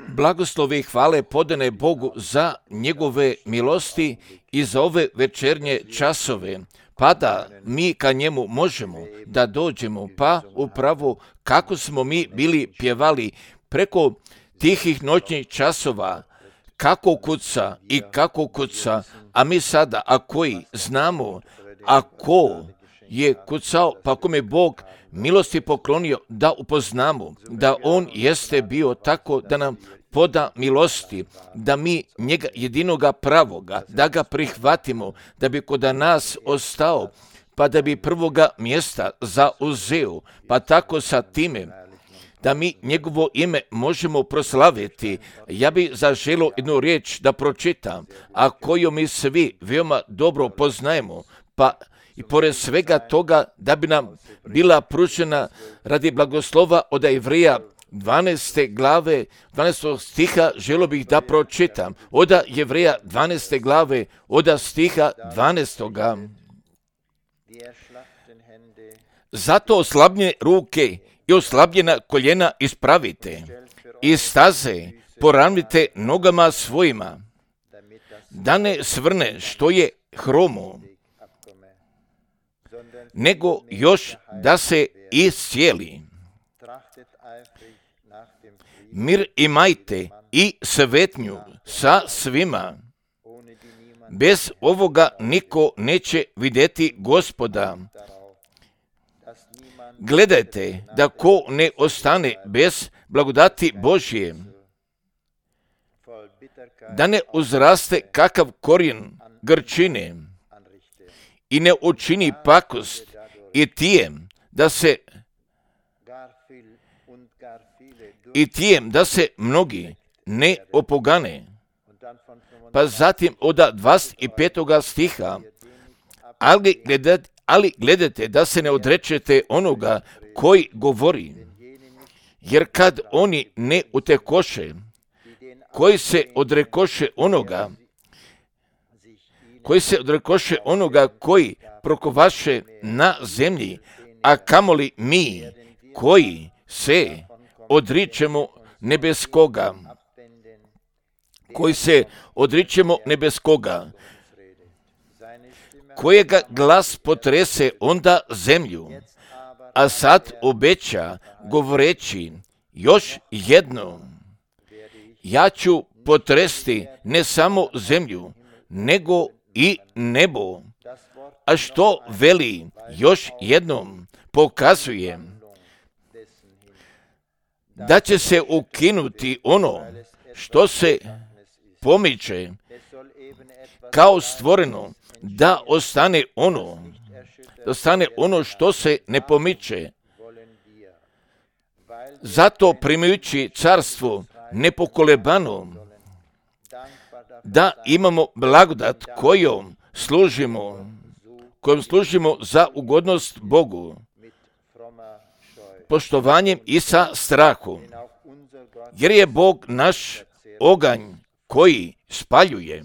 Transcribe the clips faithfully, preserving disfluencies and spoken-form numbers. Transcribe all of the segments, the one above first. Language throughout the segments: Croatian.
Blagoslove i hvale podane Bogu za njegove milosti i za ove večernje časove, pa da mi ka njemu možemo da dođemo, pa upravo kako smo mi bili pjevali preko tihih noćnih časova, kako kuca i kako kuca, a mi sada, a koji znamo, a ko je kucao, pa kome Bog milosti poklonio da upoznamo, da on jeste bio tako da nam poda milosti, da mi njega jedinoga pravoga, da ga prihvatimo, da bi kod nas ostao, pa da bi prvoga mjesta zauzeo, pa tako sa time, da mi njegovo ime možemo proslaviti. Ja bi zaželio jednu riječ da pročitam, a koju mi svi veoma dobro poznajemo, pa i pored svega toga da bi nam bila pružena radi blagoslova od Jevreja dvanaeste glave, dvanaestog stiha, želio bih da pročitam. Od Jevreja dvanaeste glave, od stiha dvanaestoga. Zato oslabljene ruke i oslabljena koljena ispravite i staze poravnite nogama svojima, da ne svrne što je hromo, nego još da se iscijeli. Mir imajte i svetnju sa svima. Bez ovoga niko neće vidjeti Gospoda. Gledajte da ko ne ostane bez blagodati Božje, da ne uzraste kakav korijen grčine i ne učini pakost i tijem da se i tijem da se mnogi ne opogane. Pa zatim od dvadeset petog stiha, ali gledajte, ali gledajte da se ne odrečete onoga koji govori, jer kad oni ne utekoše, koji se odrekoše onoga, koji se odrekoše onoga koji prokovaše na zemlji, a kamoli mi koji se odričemo nebeskoga, koji se odričemo nebeskoga, kojega glas potrese onda zemlju, a sad obeća govoreći još jedno, ja ću potresti ne samo zemlju, nego i nebo. A što veli još jednom pokazuje da će se ukinuti ono što se pomiče kao stvoreno, da ostane ono, da ostane ono što se ne pomiče. Zato primajući carstvo nepokolebano, da imamo blagodat kojom služimo, kojom služimo za ugodnost Bogu, poštovanjem i sa strahom, jer je Bog naš oganj koji spaljuje.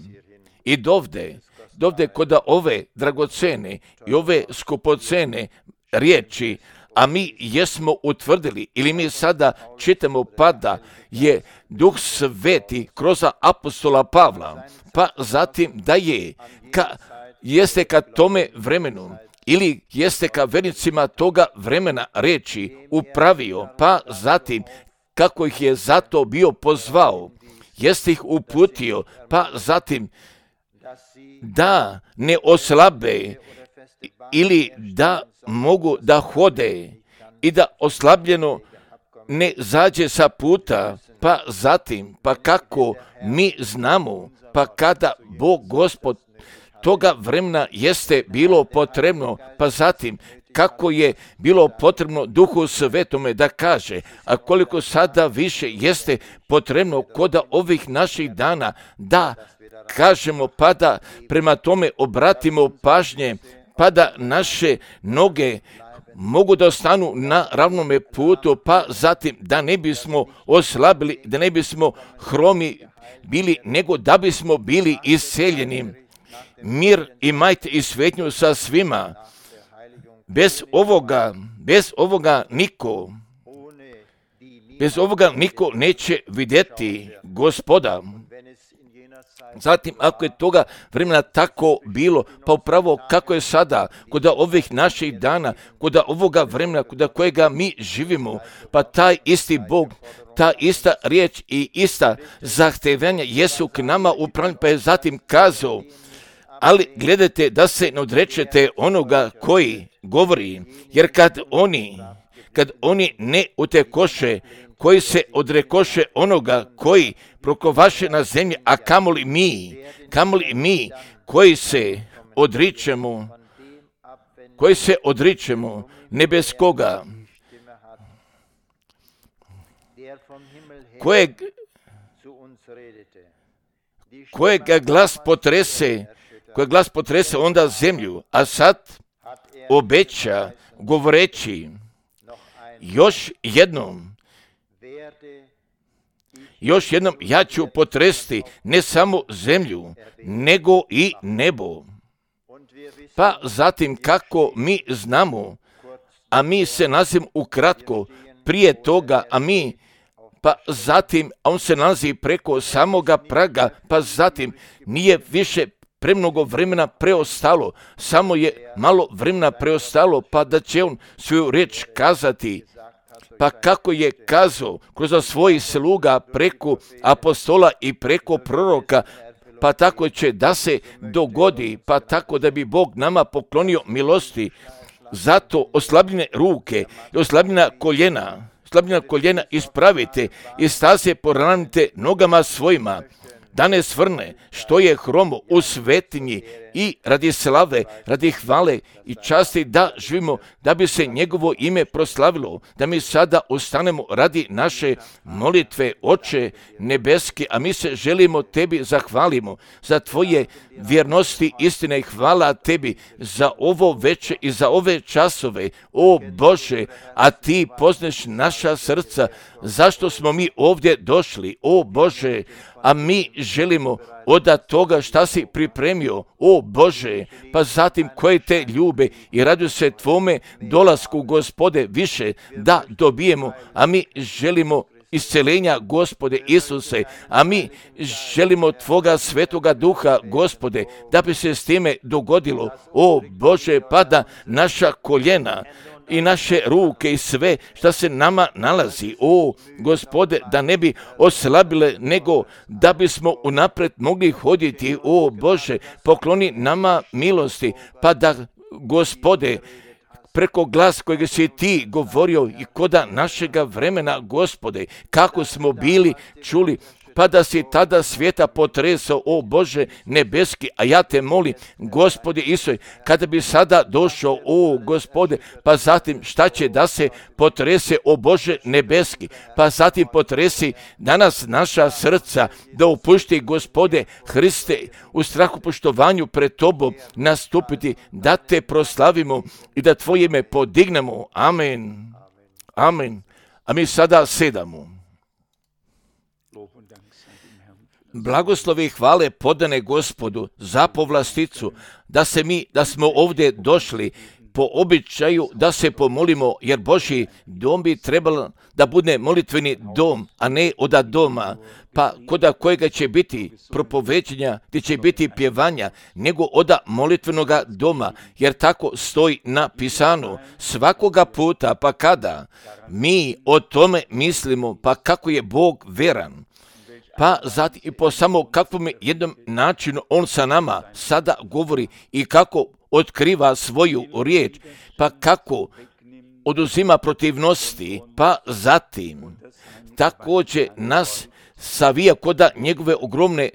I dovde, dovde kod ove dragocene i ove skupocene riječi, a mi jesmo utvrdili, ili mi sada čitamo pa da je Duh Sveti kroz apostola Pavla, pa zatim da je, ka, jeste ka tome vremenu, ili jeste ka vernicima toga vremena reći upravio, pa zatim kako ih je zato bio pozvao, jeste ih uputio, pa zatim da ne oslabe ili da mogu da hode i da oslabljeno ne zađe sa puta, pa zatim, pa kako mi znamo, pa kada Bog Gospod toga vremena jeste bilo potrebno, pa zatim kako je bilo potrebno Duhu Svetome da kaže, a koliko sada više jeste potrebno kod ovih naših dana da kažemo, pa da prema tome obratimo pažnje, pa da naše noge mogu da ostanu na ravnome putu, pa zatim da ne bismo oslabili, da ne bismo hromi bili, nego da bismo bili isceljeni. Mir imajte i svetnju sa svima. Bez ovoga, bez ovoga niko Bez ovoga niko neće vidjeti Gospoda. Zatim, ako je toga vremena tako bilo, pa upravo kako je sada, kod ovih naših dana, kod ovoga vremena, kod kojega mi živimo, pa taj isti Bog, ta ista riječ i ista zahtevanja jesu k nama upravljeni, pa je zatim kazao, ali gledajte da se ne odrečete onoga koji govori, jer kad oni, kad oni ne utekoše, koji se odrekoše onoga koji prokovaše na zemlji, a kamoli mi, kamoli mi koji se odričemo, koji se odričemo nebeskoga, kojeg, kojega glas potrese, kojeg glas potrese onda zemlju, a sad obeća govoreći još jednom, još jednom ja ću potresti ne samo zemlju, nego i nebo. Pa zatim kako mi znamo, a mi se nalazimo ukratko prije toga, a mi, pa zatim, a on se nalazi preko samoga praga, pa zatim nije više premnogo vremena preostalo, samo je malo vremena preostalo, pa da će on svoju riječ kazati. Pa kako je kazao kroz svojih sluga preko apostola i preko proroka, pa tako će da se dogodi, pa tako da bi Bog nama poklonio milosti. Zato oslabljene ruke i oslabljena koljena, oslabljena koljena ispravite i staze poravnajte nogama svojima, da ne svrne što je hromo u svetinji i radi slave, radi hvale i časti da živimo, da bi se njegovo ime proslavilo, da mi sada ustanemo radi naše molitve, Oče nebeski, a mi se želimo tebi zahvalimo za tvoje vjernosti, istine i hvala tebi za ovo veče i za ove časove, o Bože, a ti poznaš naša srca, zašto smo mi ovdje došli, o Bože, a mi želimo od toga šta si pripremio, o Bože, pa zatim koje te ljube i raduju se tvome dolasku, Gospode, više da dobijemo, a mi želimo isceljenja, Gospode Isuse, a mi želimo tvoga svetoga duha, Gospode, da bi se s time dogodilo, o Bože, pa da naša koljena i naše ruke i sve što se nama nalazi, o Gospode, da ne bi oslabile, nego da bismo unaprijed mogli hoditi, o Bože, pokloni nama milosti, pa da, Gospode, preko glas kojeg si ti govorio i koda našega vremena, Gospode, kako smo bili čuli, pa da si tada svijeta potresao, o Bože nebeski, a ja te molim, Gospode Isuse, kada bi sada došao, o Gospode, pa zatim šta će da se potrese, o Bože nebeski, pa zatim potresi danas naša srca, da upušti, Gospode Hriste, u strahu poštovanju pred tobom nastupiti, da te proslavimo i da tvoje ime podignemo. Amen. Amen. A mi sada sedamo. Blagoslovi i hvale podane Gospodu za povlasticu, da se mi, da smo ovdje došli po običaju da se pomolimo, jer Božji dom bi trebalo da bude molitveni dom, a ne oda doma, pa koda kojega će biti propoveđenja, gdje će biti pjevanja, nego oda molitvenoga doma, jer tako stoji na pisanu. Svakoga puta, pa kada mi o tome mislimo, pa kako je Bog veran, pa zatim i po samo kakvom jednom načinu on sa nama sada govori i kako otkriva svoju riječ, pa kako oduzima protivnosti, pa zatim također nas savija koda njegove ogromne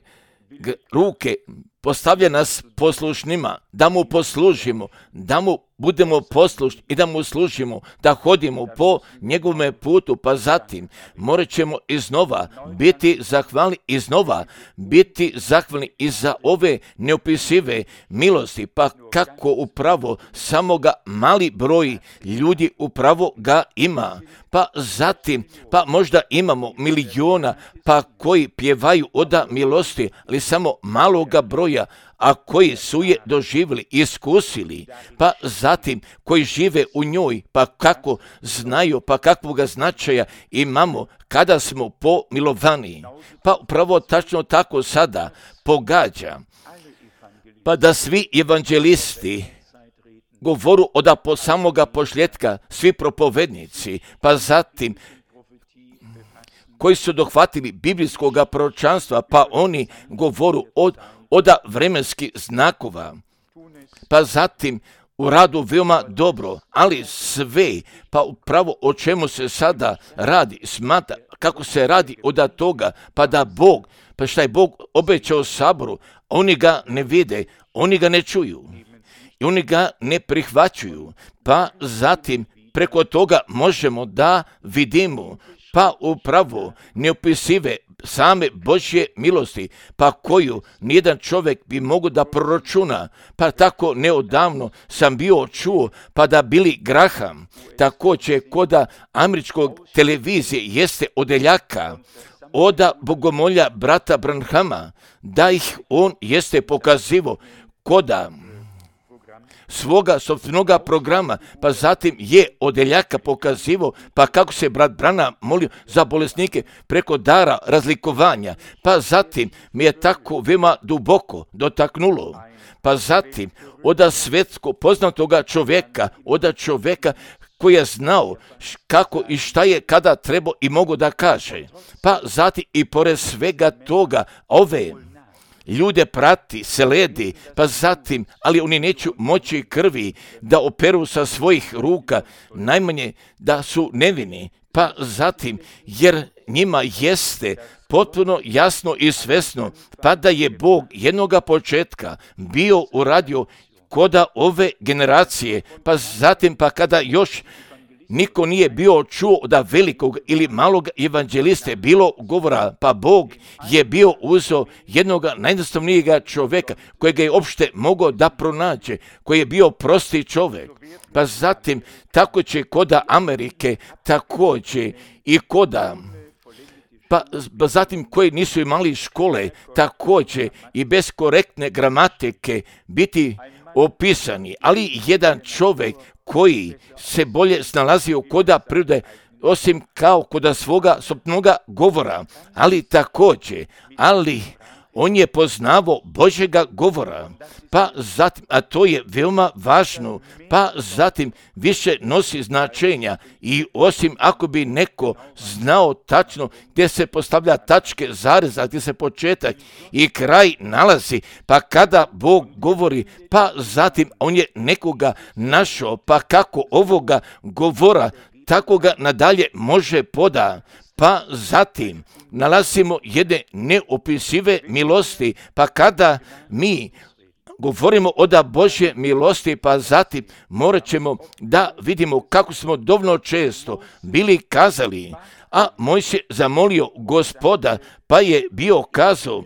ruke, postavlja nas poslušnima, da mu poslužimo, da mu budemo poslušni i da mu služimo, da hodimo po njegovome putu, pa zatim morat ćemo iznova biti zahvalni, iznova biti zahvalni i za ove neopisive milosti, pa kako upravo samoga mali broj ljudi upravo ga ima, pa zatim, pa možda imamo miliona, pa koji pjevaju oda milosti, ali samo maloga broja, a koji su je doživjeli, iskusili, pa zatim koji žive u njoj, pa kako znaju, pa kakvoga značaja imamo kada smo pomilovani. Pa upravo tačno tako sada pogađa, pa da svi evanđelisti govoru od po samoga pošljetka, svi propovednici, pa zatim koji su dohvatili biblijskog proročanstva, pa oni govoru od, od vremenskih znakova, pa zatim u radu veoma dobro, ali sve, pa upravo o čemu se sada radi, smatra, kako se radi od toga, pa da Bog, pa šta je Bog obećao saboru, oni ga ne vide, oni ga ne čuju i oni ga ne prihvaćuju, pa zatim preko toga možemo da vidimo, pa upravo neopisive same Božje milosti, pa koju nijedan čovjek bi mogao da proračuna. Pa tako neodavno sam bio čuo, pa da Billy Graham, također koda američkog televizije jeste odeljaka, oda bogomolja brata Branhama, da ih on jeste pokazivo koda svoga sopstvenoga programa, pa zatim je odeljaka pokazivo, pa kako se brat Branham molio za bolesnike preko dara razlikovanja, pa zatim mi je tako veoma duboko dotaknulo, pa zatim oda svetsko poznatoga čovjeka, oda čovjeka koji je znao kako i šta je kada trebao i mogu da kaže, pa zatim i pored svega toga ove ljude prati, sledi, pa zatim, ali oni neću moći krvi da operu sa svojih ruka, najmanje da su nevini, pa zatim, jer njima jeste potpuno jasno i svesno, pa da je Bog jednoga početka bio uradio koda ove generacije, pa zatim, pa kada još niko nije bio čuo da velikog ili malog evanđeliste bilo govora, pa Bog je bio uzeo jednog najjednostavnijega čovjeka kojega je uopšte mogao da pronađe, koji je bio prosti čovjek. Pa zatim tako će koda Amerike također i koda, pa zatim koji nisu imali škole također i bez korektne gramatike biti opisani, ali jedan čovjek koji se bolje snalazio koda prirode, osim kao koda svoga sopnoga govora, ali također, ali on je poznavao Božjega govora, pa zatim, a to je veoma važno, pa zatim više nosi značenja i osim ako bi neko znao tačno gdje se postavlja tačke zareza, gdje se početak i kraj nalazi, pa kada Bog govori, pa zatim on je nekoga našao, pa kako ovoga govora, tako ga nadalje može poda. Pa zatim nalazimo jedne neopisive milosti, pa kada mi govorimo o da Božje milosti, pa zatim morat ćemo da vidimo kako smo dovoljno često bili kazali, a Mojsije zamolio Gospoda, pa je bio kazao,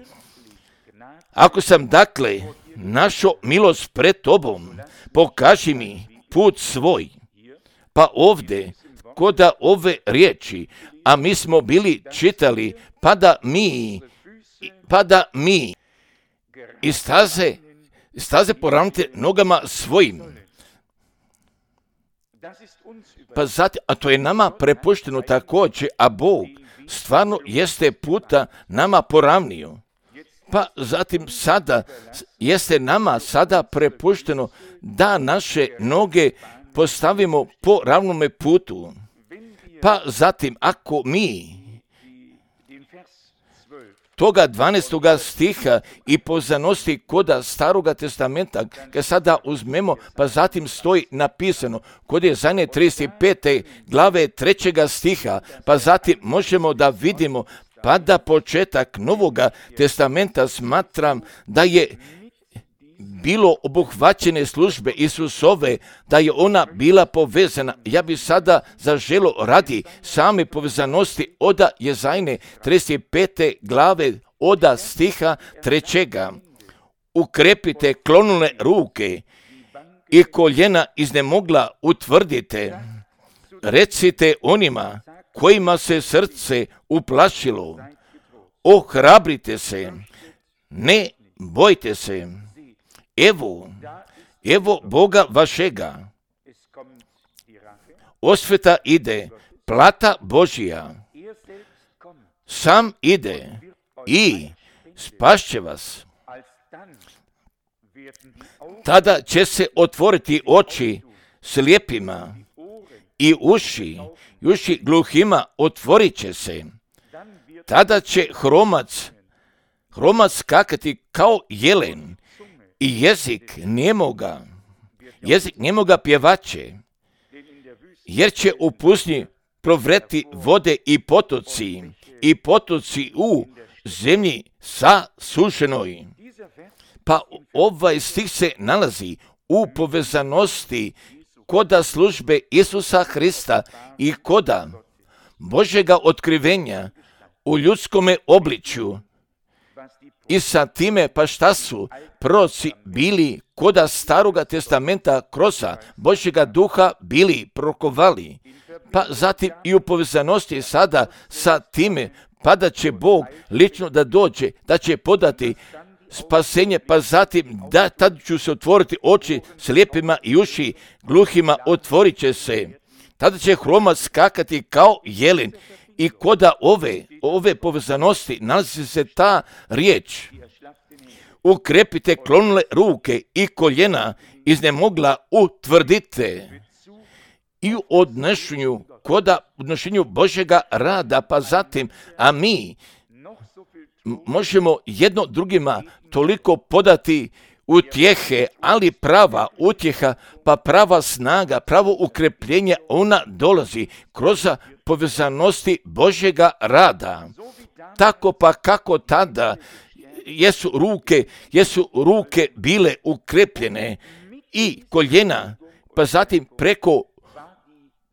ako sam dakle našao milost pred tobom, pokaži mi put svoj. Pa ovdje, koda ove riječi, a mi smo bili čitali, pa da mi, pa da mi i staze, staze poravnite nogama svojim. Pa zatim, a to je nama prepušteno također, a Bog stvarno jeste puta nama poravnio. Pa zatim sada jeste nama sada prepušteno da naše noge postavimo po ravnome putu. Pa zatim, ako mi toga dvanaestoga stiha i poznanosti koda Staroga testamenta, kad sada uzmemo, pa zatim stoji napisano, kod je zadnje trideset pete glave trećega stiha, pa zatim možemo da vidimo, pa da početak Novoga testamenta smatram da je bilo obuhvaćene službe Isusove, da je ona bila povezana. Ja bi sada zaželo radi same povezanosti oda Jezajne trideset pete glave oda stiha trećega. Ukrepite klonule ruke i koljena iznemogla utvrdite. Recite onima kojima se srce uplašilo, ohrabrite se, ne bojte se. evo, evo Boga vašega, osveta ide, plata Božija, sam ide i spašće vas. Tada će se otvoriti oči slijepima i uši, i uši gluhima otvorit će se. Tada će hromac, hromac skakati kao jelen i jezik njemoga, jezik njemoga pjevaće, jer će u pustinji provreti vode i potoci, i potoci u zemlji sasušenoj. Pa ovaj stih se nalazi u povezanosti koda službe Isusa Hrista i koda Božjega otkrivenja u ljudskome obličju. I sa time, pa šta su proroci bili koda Staroga testamenta kroz Božjega duha bili prorokovali, pa zatim i u povezanosti sada sa time, pa da će Bog lično da dođe, da će podati spasenje, pa zatim da tad ću se otvoriti oči slijepima i uši gluhima otvorit će se. Tada će hromac skakati kao jelen i koda ove, ove povezanosti nalazi se ta riječ. Ukrepite klonule ruke i koljena iznemogla utvrdite. I u odnošenju, koda odnošenju Božjega rada, pa zatim, a mi možemo jedno drugima toliko podati utjehe, ali prava utjeha, pa prava snaga, pravo ukrepljenje, ona dolazi kroz povezanosti Božjega rada. Tako pa kako tada jesu ruke, jesu ruke bile ukrepljene i koljena, pa zatim preko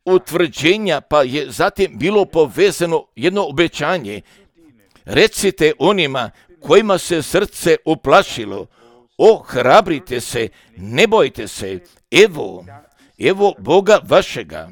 utvrđenja, pa je zatim bilo povezano jedno obećanje. Recite onima kojima se srce uplašilo, ohrabrite se, ne bojte se, evo, evo Boga vašega.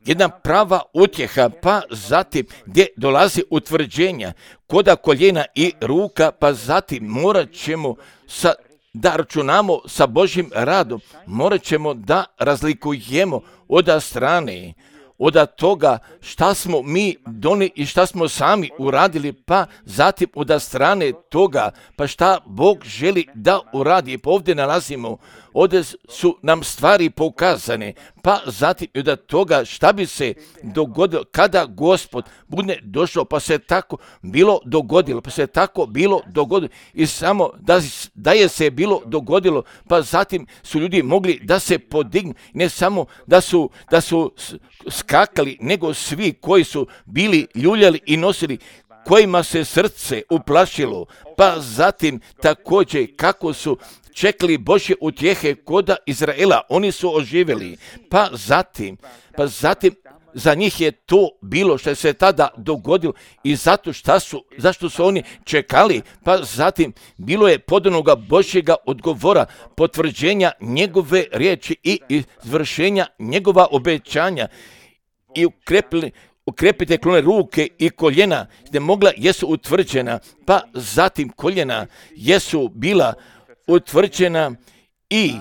Jedna prava utjeha, pa zatim gdje dolazi utvrđenja, koda koljena i ruka, pa zatim morat ćemo sa, da računamo sa Božjim radom, morat ćemo da razlikujemo od strane, od toga šta smo mi donijeli i šta smo sami uradili, pa zatim od strane toga, pa šta Bog želi da uradi. Pa ovdje nalazimo, ovdje su nam stvari pokazane, pa zatim od toga šta bi se dogodilo kada Gospod bude došao, pa se tako bilo dogodilo, pa se tako bilo dogodilo i samo da, da je se bilo dogodilo, pa zatim su ljudi mogli da se podignu, ne samo da su, da su skakali, nego svi koji su bili ljuljali i nosili, kojima se srce uplašilo, pa zatim također kako su čekali Božje utjehe koda Izraela, oni su oživjeli, pa zatim, pa zatim za njih je to bilo što se tada dogodilo i zato šta su, zašto su oni čekali, pa zatim bilo je podanoga Božjega odgovora, potvrđenja njegove riječi i izvršenja njegova obećanja i ukrepili, ukrepite klone ruke i koljena, gdje mogla jesu utvrđena, pa zatim koljena jesu bila utvrđena i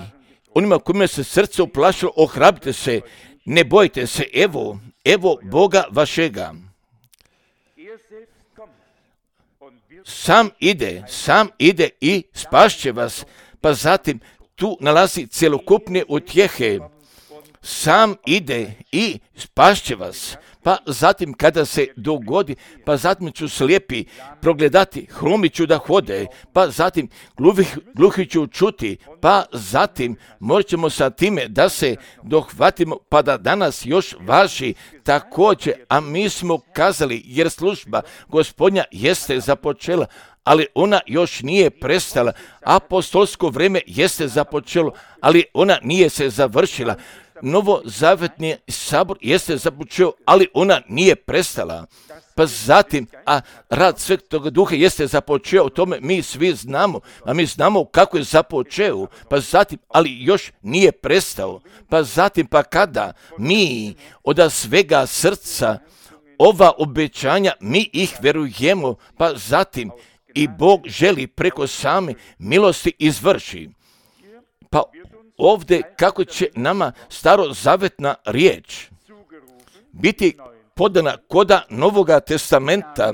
onima kojima se srce uplašilo, ohrabrite se, ne bojte se, evo, evo Boga vašega. Sam ide, sam ide i spašće vas, pa zatim tu nalazi cjelokupne utjehe. Sam ide i spašće vas, pa zatim kada se dogodi, pa zatim ću slijepi progledati, hromi ću da hode, pa zatim gluhi, gluhi ću čuti, pa zatim morat ćemo sa time da se dohvatimo, pa da danas još važi također, a mi smo kazali, jer služba Gospodnja jeste započela, ali ona još nije prestala, apostolsko vrijeme jeste započelo, ali ona nije se završila. Novozavetni sabor jeste započeo, ali ona nije prestala. Pa zatim, a rad Svetog Duha jeste započeo, o tome mi svi znamo, a mi znamo kako je započeo, pa zatim, ali još nije prestao. Pa zatim, pa kada mi od svega srca ova obećanja, mi ih verujemo, pa zatim i Bog želi preko same milosti izvrši. Pa ovdje kako će nama starozavetna riječ biti podana koda Novoga testamenta,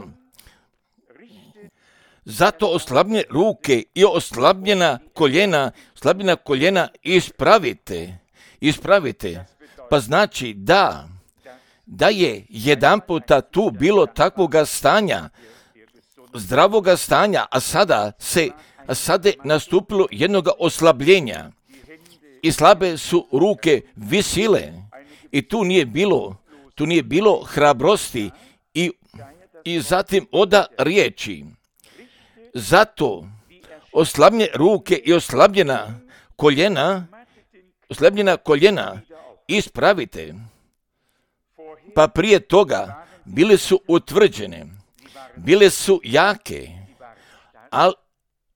zato oslabljene ruke i oslabljena koljena, oslabljena koljena ispravite, ispravite. Pa znači da, da je jedan puta tu bilo takvoga stanja, zdravoga stanja, a sada se, a sada je nastupilo jednoga oslabljenja i slabe su ruke visile i tu nije bilo, tu nije bilo hrabrosti i, i zatim oda riječi. Zato oslabljene ruke i oslabljena koljena, oslabljena koljena ispravite. Pa prije toga bile su utvrđene, bile su jake, ali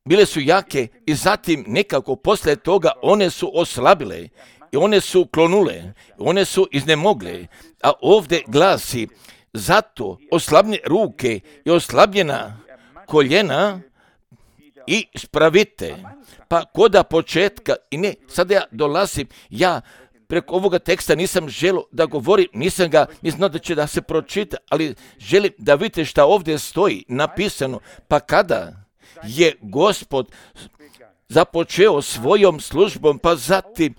bile su jake i zatim nekako poslije toga one su oslabile i one su klonule, one su iznemogle. A ovdje glasi, zato oslabljene ruke i oslabljena koljena i spravite. Pa koda početka, i ne, sada ja dolazim, ja preko ovoga teksta nisam želio da govorim, nisam ga, nisam da će da se pročita, ali želim da vidite šta ovdje stoji napisano. Pa kada je Gospod započeo svojom službom, pa zatim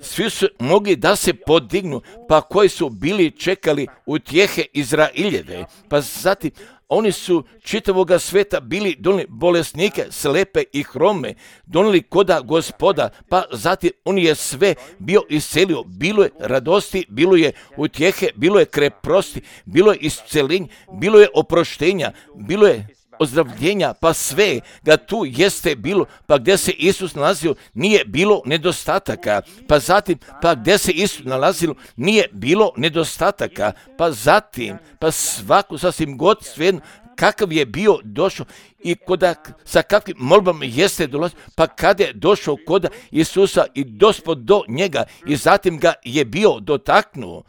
svi su mogli da se podignu, pa koji su bili čekali utjehe Izraeljeve, pa zatim oni su čitavoga sveta bili donijeli bolesnike, slepe i hrome, donijeli koda Gospoda, pa zatim on je sve bio iscelio. Bilo je radosti, bilo je utjehe, bilo je kreprosti, bilo je iscelenja, bilo je oproštenja, bilo je ozdravljenja, pa sve ga tu jeste bilo, pa gdje se Isus nalazio nije bilo nedostataka, pa zatim, pa gdje se Isus nalazilo nije bilo nedostataka, pa zatim, pa svaku sasvim god svejedno kakav je bio došao i koda, sa kakvim molbama jeste dolazio, pa kada je došao koda Isusa i dospod do njega i zatim ga je bio dotaknuo,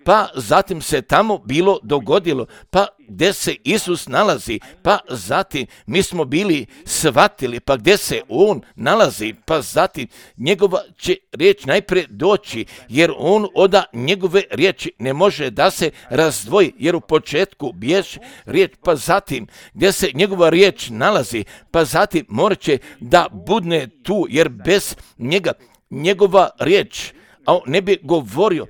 pa zatim se tamo bilo dogodilo, pa gdje se Isus nalazi, pa zatim mi smo bili shvatili, pa gdje se on nalazi, pa zatim njegova će riječ najprije doći, jer on oda njegove riječi ne može da se razdvoji, jer u početku bježe riječ, pa zatim gdje se njegova riječ nalazi, pa zatim morat će da budne tu, jer bez njega, njegova riječ, a on ne bi govorio,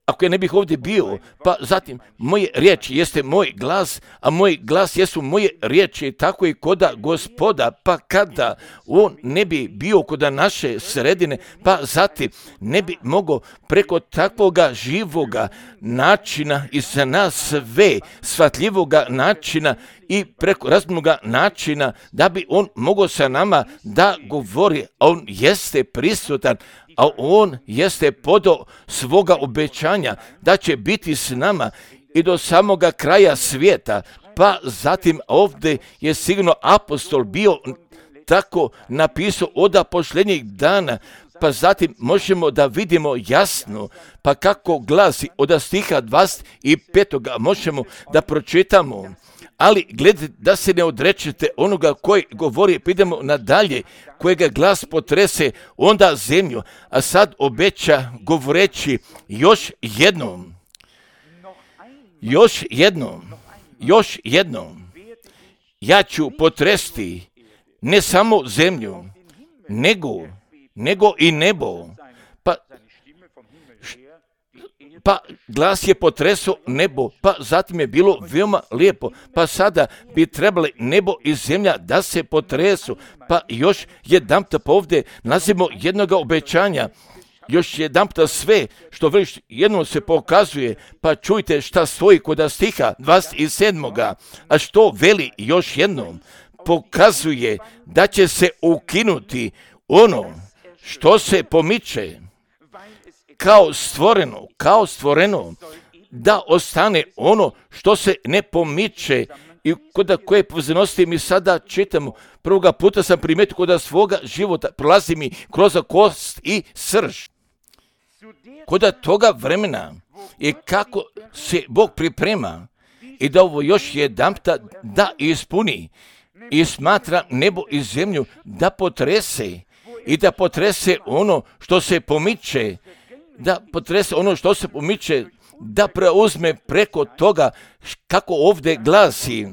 ako je ne bih ovdje bio, pa zatim moje riječi jeste moj glas, a moj glas jesu moje riječi, tako i koda Gospoda, pa kada on ne bi bio koda naše sredine, pa zatim ne bi mogao preko takvoga živoga načina i za nas sve shvatljivoga načina i preko razumnoga načina da bi on mogao sa nama da govori, a on jeste prisutan, a on jeste podao svoga obećanja da će biti s nama i do samoga kraja svijeta. Pa zatim ovdje je sigurno apostol bio tako napisao od posljednjih dana, pa zatim možemo da vidimo jasno, pa kako glasi od stiha dvadeset pet možemo da pročitamo. Ali gledajte da se ne odrečete onoga koji govori, pa idemo nadalje, kojega glas potrese onda zemlju, a sad obeća govoreći još jednom, još jednom, još jednom, ja ću potresti ne samo zemlju, nego, nego i nebo. Pa Pa glas je potresao nebo, pa zatim je bilo veoma lijepo, pa sada bi trebali nebo i zemlja da se potresu, pa još jedanputa pa ovdje nalazimo jednoga obećanja, još jedanputa sve što veliš jednom se pokazuje, pa čujte šta stoji kod stiha dvadeset sedam. A što veli još jednom, pokazuje da će se ukinuti ono što se pomiče, kao stvoreno, kao stvoreno, da ostane ono što se ne pomiče i kod koje pozornosti mi sada čitamo. Prvoga puta sam primetio kod svoga života, prolazi mi kroz kost i srž. Kod toga vremena i kako se Bog priprema i da ovo još jedanputa da ispuni, i smatra nebo i zemlju da potrese i da potrese ono što se pomiče, da potrese ono što se pomiče, da preuzme preko toga kako ovdje glasi,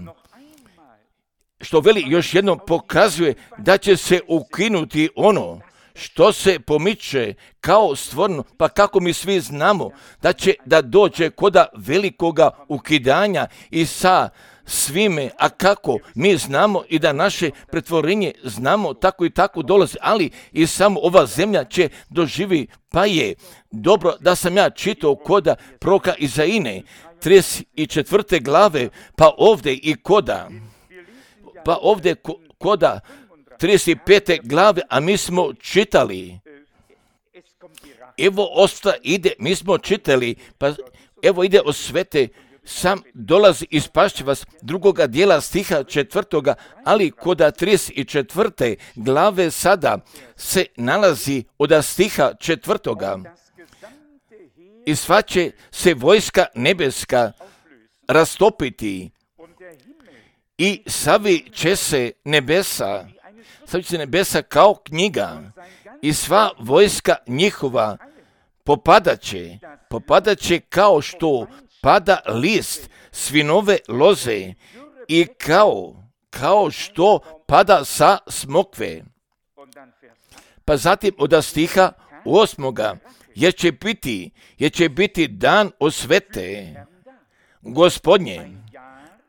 što veli još jednom pokazuje da će se ukinuti ono što se pomiče kao stvorno, pa kako mi svi znamo da će da dođe koda velikoga ukidanja i sa svime, a kako mi znamo i da naše pretvorenje znamo tako i tako dolazi, ali i samo ova zemlja će doživi, pa je dobro da sam ja čitao koda proroka Izaije, trideset četvrte glave, pa ovdje i koda, pa ovdje koda trideset pete glave, a mi smo čitali, evo osta ide, mi smo čitali, pa evo ide o svete, sam dolazi i spašće vas, drugoga dijela stiha četvrtoga, ali koda trideset četvrte glave sada se nalazi od stiha četvrtoga. I sva će se vojska nebeska rastopiti i savi će se nebesa, savi će se nebesa kao knjiga i sva vojska njihova popadaće, popadaće kao što pada list svinove loze i kao, kao što pada sa smokve. Pa zatim od stiha osmoga, jer će biti, jer će biti dan osvete Gospodnje,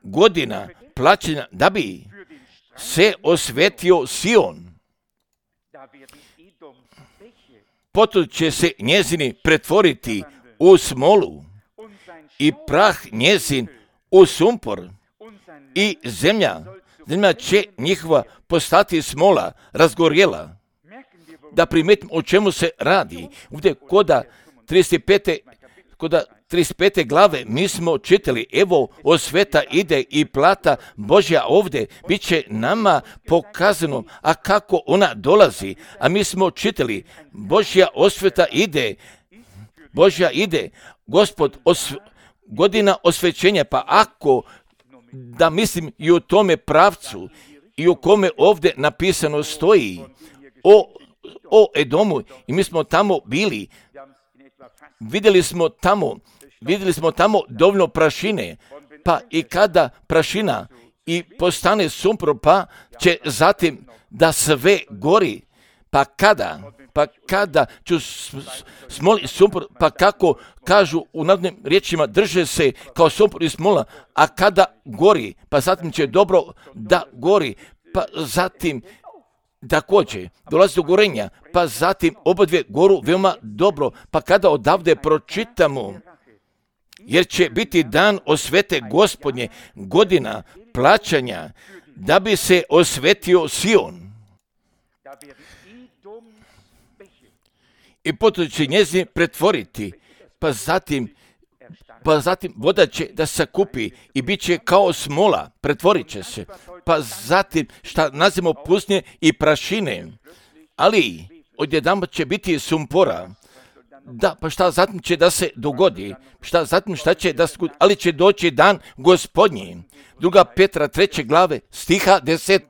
godina plaćena da bi se osvetio Sion. Potom će se njezini pretvoriti u smolu i prah njezin u sumpor i zemlja, zemlja će njihova postati smola, razgorjela. Da primetim o čemu se radi. Ovdje koda trideset pete, koda trideset pete glave mi smo čitali, evo osveta ide i plata Božja ovdje, bit će nama pokazano, a kako ona dolazi, a mi smo čitali, Božja osveta ide, Božja ide, Gospod osv... godina osvećenja, pa ako, da mislim i u tome pravcu, i u kome ovdje napisano stoji o, o Edomu, i mi smo tamo bili, vidjeli smo tamo, vidjeli smo tamo dovoljno prašine, pa i kada prašina i postane sumpor, pa će zatim da sve gori, pa kada, pa kada ću smoli sumpor, pa kako kažu u narodnim riječima, drže se kao sumpor i smola, a kada gori, pa zatim će dobro da gori, pa zatim također dolazi do gorenja, pa zatim obadvije goru veoma dobro, pa kada odavde pročitamo, jer će biti dan osvete Gospodnje, godina plaćanja, da bi se osvetio Sion. I potom će njezin pretvoriti, pa zatim, pa zatim voda će da se kupi i bit će kao smola, pretvorit će se, pa zatim šta nazivamo pustinje i prašine, ali odjedanput će biti sumpora. Da, pa šta zatim će da se dogodi, šta zatim šta će da se dogodi, ali će doći dan Gospodnji. Druga Petra treće glave, stiha deset,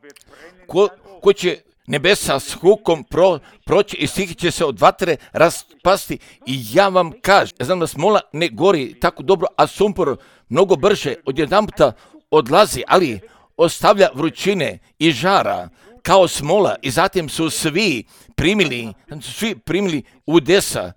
ko, ko će nebesa s hukom pro, proći i stihi će se od vatre raspasti. I ja vam kažem, ja znam da smola ne gori tako dobro, a sumpor mnogo brže odjedanputa odlazi, ali ostavlja vrućine i žara kao smola i zatim su svi primili, su svi primili udesa,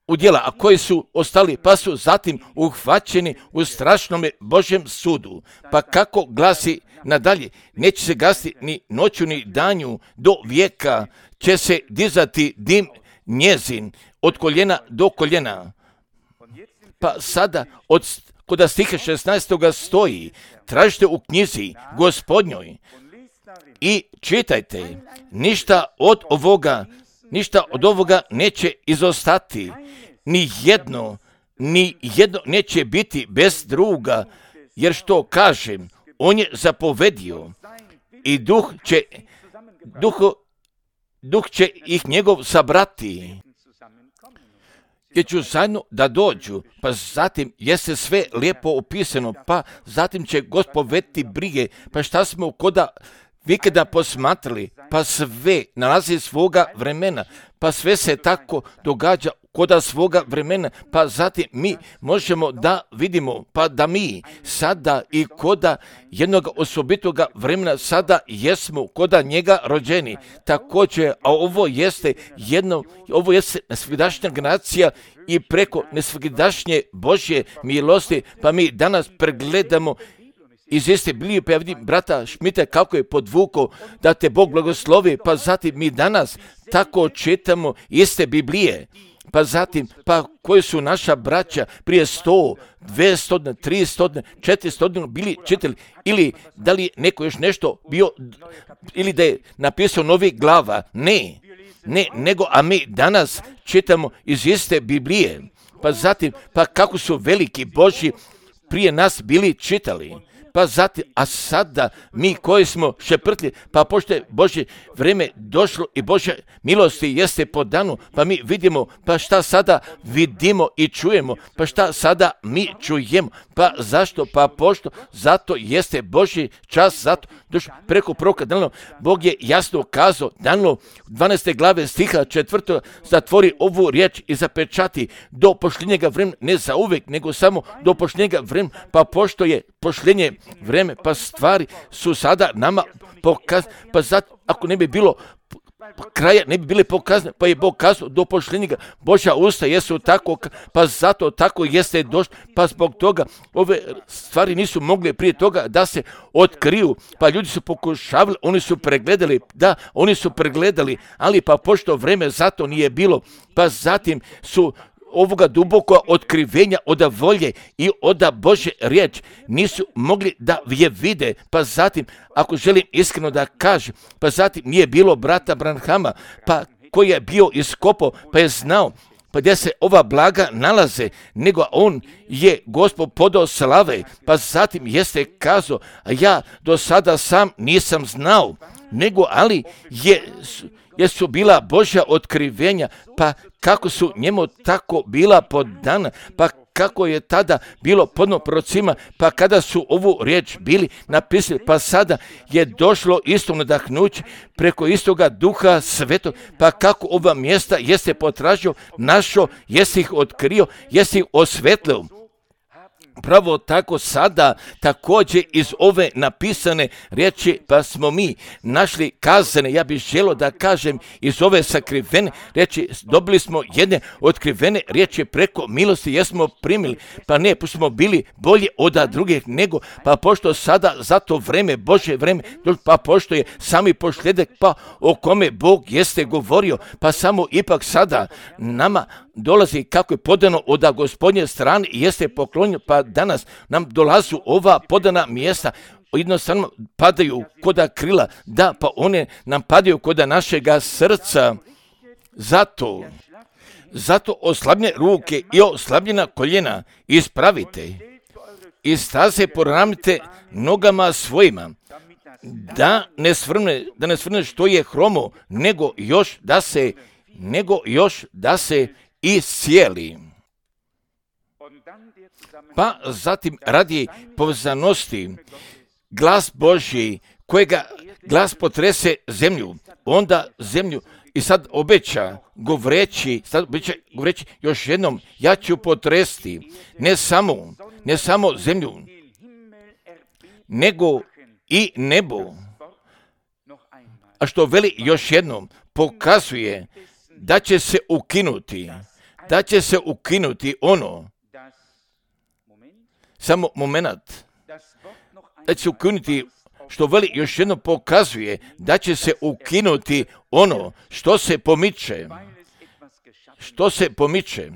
udjela, a koji su ostali, pa su zatim uhvaćeni u strašnome Božjem sudu. Pa kako glasi nadalje, neće se gasiti ni noću ni danju, do vijeka će se dizati dim njezin od koljena do koljena. Pa sada od kod stiha šesnaestoga stoji, tražite u knjizi Gospodnjoj i čitajte, ništa od ovoga, ništa od ovoga neće izostati, ni jedno, ni jedno neće biti bez druga, jer što kažem, on je zapovedio i duh će, duh, duh će ih njegov sabrati. Jer ću zajedno da dođu, pa zatim jeste sve lijepo opisano, pa zatim će Gospod voditi brige, pa šta smo koda vi kada posmatrali, pa sve nalazi svoga vremena, pa sve se tako događa koda svoga vremena, pa zatim mi možemo da vidimo, pa da mi sada i koda jednog osobitoga vremena sada jesmo koda njega rođeni. Također, a ovo jeste jedno, ovo jeste nesvidašnja generacija i preko nesvidašnje Božje milosti, pa mi danas pregledamo iz iste Biblije, pa ja vidim brata Šmita kako je podvukao da te Bog blagoslovi, pa zatim mi danas tako čitamo iste Biblije. Pa zatim, pa koji su naša braća prije sto, dvjesto, tristo, četiristo bili čitali, ili da li neko još nešto bio, ili da je napisao novi glava, ne, ne, nego, a mi danas čitamo iz iste Biblije. Pa zatim, pa kako su veliki Božji prije nas bili čitali. Pa zatim, a sada mi koji smo šeprtli, pa pošto je Božje vrijeme došlo i Božja milosti jeste po danu, pa mi vidimo, pa šta sada vidimo i čujemo, pa šta sada mi čujemo, pa zašto, pa pošto, zato jeste Božji čas, zato došlo preko proroka Danilo, Bog je jasno kazao, Danilo dvanaeste glave stiha četvrtog, zatvori ovu riječ i zapečati do pošljenjega vremena, ne za uvijek, nego samo do pošljenjega vremena, pa pošto je pošljenje vreme, pa stvari su sada nama pokazane, pa zato ako ne bi bilo kraja, ne bi bile pokazane, pa je Bog kazao do pošljenjega, Božja usta jesu tako, pa zato tako jeste došlo, pa zbog toga ove stvari nisu mogli prije toga da se otkriju, pa ljudi su pokušavali, oni su pregledali, da, oni su pregledali, ali pa pošto vreme zato nije bilo, pa zatim su ovoga duboko otkrivenja oda volje i oda Božje riječ nisu mogli da je vide, pa zatim, ako želim iskreno da kažem, pa zatim nije bilo brata Branhama, pa koji je bio iskopao, pa je znao, pa gdje se ova blaga nalaze, nego on je Gospod podao slave, pa zatim jeste kazao, a ja do sada sam nisam znao, nego ali je jesu bila Božja otkrivenja, pa kako su njemu tako bila podana, pa kako je tada bilo podno prorocima, pa kada su ovu riječ bili napisali, pa sada je došlo isto nadahnuće preko istoga Duha Svetog, pa kako ova mjesta jeste potražio, našo, jeste ih otkrio, jeste ih osvetlio. Pravo tako sada također iz ove napisane riječi, pa smo mi našli kazane, ja bih želio da kažem iz ove sakrivene riječi, dobili smo jedne otkrivene riječi preko milosti, jesmo primili, pa ne, pošto smo bili bolje od drugih nego, pa pošto sada za to vreme, Božje vreme, pa pošto je sami posljedek, pa o kome Bog jeste govorio, pa samo ipak sada nama dolazi kako je podano od Gospodnje strane i jeste poklonjeno, pa danas nam dolazu ova podana mjesta, jednostavno padaju koda krila, da, pa one nam padaju koda našega srca. Zato, zato oslabljene ruke i oslabljena koljena ispravite i staze poravnite nogama svojima, da ne svrne, da ne svrne što je hromo, nego još da se, nego još da se iscijeli. Pa zatim radi povezanosti glas Božji kojega glas potrese zemlju, onda zemlju i sad obeća govoreći, sad obeća govoreći još jednom, ja ću potresti ne samo, ne samo zemlju, nego i nebo. A što veli još jednom, pokazuje da će se ukinuti, da će se ukinuti ono, samo moment, da će se ukinuti, što veli još jednom pokazuje da će se ukinuti ono što se pomiče, što se pomiče,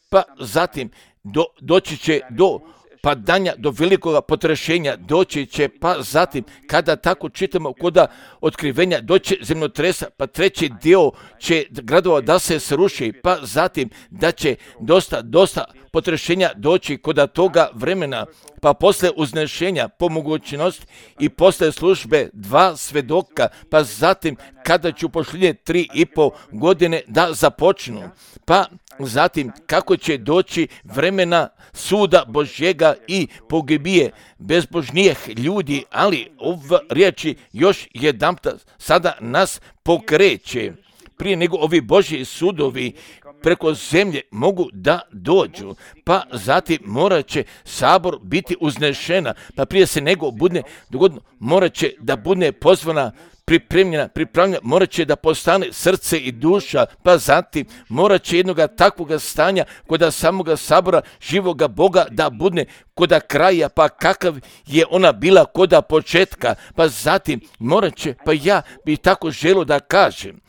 pa zatim do, doći će do padanja, do velikog potrešenja, doći će, pa zatim, kada tako čitamo koda otkrivenja, doći zemljotresa, pa treći dio će gradova da se sruši, pa zatim da će dosta, dosta potrešenja doći koda toga vremena, pa posle uznešenja po mogućnosti i posle službe dva svedoka, pa zatim kada ću posljednje tri i po godine da započnu, pa zatim kako će doći vremena suda Božjega i pogibije bezbožnijih ljudi, ali ova riječi još jedanput sada nas pokreće. Prije nego ovi Božji sudovi preko zemlje mogu da dođu, pa zatim morat će sabor biti uznešena, pa prije se nego bude dogodno, morat će da bude pozvana, pripremljena, pripravljena, morat će da postane srce i duša, pa zatim morat će jednoga takvoga stanja koda samoga sabora živoga Boga da bude koda kraja, pa kakav je ona bila koda početka, pa zatim morat će, pa ja bi tako želio da kažem,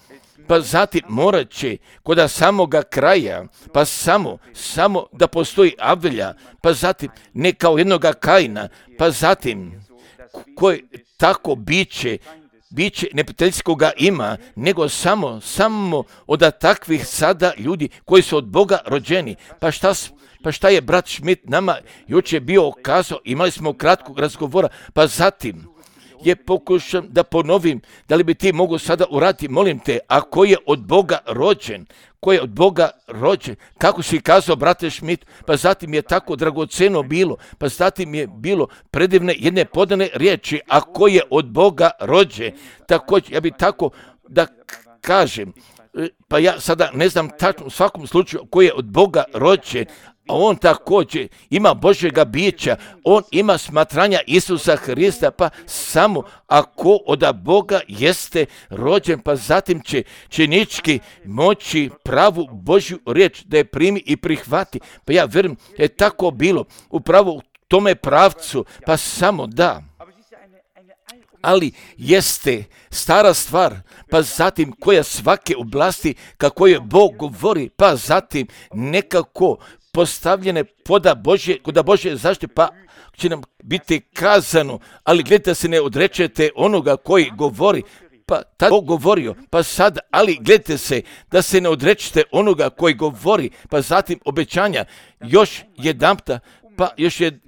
pa zatim morat će koda samoga kraja, pa samo, samo da postoji Avelja, pa zatim ne kao jednoga Kaina, pa zatim koje tako biće, biće neprijateljskoga ima, nego samo, samo od takvih sada ljudi koji su od Boga rođeni. Pa šta, pa šta je brat Schmidt nama jučer bio kazao, imali smo kratkog razgovora, pa zatim je pokušam da ponovim, da li bi ti mogu sada uraditi, molim te, a ko je od Boga rođen, ko je od Boga rođen, kako si kazao, brate Schmidt, pa zatim je tako dragoceno bilo, pa zatim je bilo predivne jedne podane riječi, a ko je od Boga rođen, također, ja bi tako da kažem, pa ja sada ne znam tačno u svakom slučaju ko je od Boga rođen, a on također ima Božjega bića, on ima smatranja Isusa Hrista, pa samo ako od Boga jeste rođen, pa zatim će činički moći pravu Božju riječ da je primi i prihvati. Pa ja vjerujem da je tako bilo upravo u tome pravcu, pa samo da. Ali jeste stara stvar, pa zatim koja svake oblasti kako je Bog govori, pa zatim nekako postavljene poda Božje, koda Božje zaštite, pa će nam biti kazano, ali gledajte se ne odrečete onoga koji govori, pa tako govorio, pa sad, ali gledajte se da se ne odrečete onoga koji govori, pa zatim obećanja, još jedanpta, pa još je,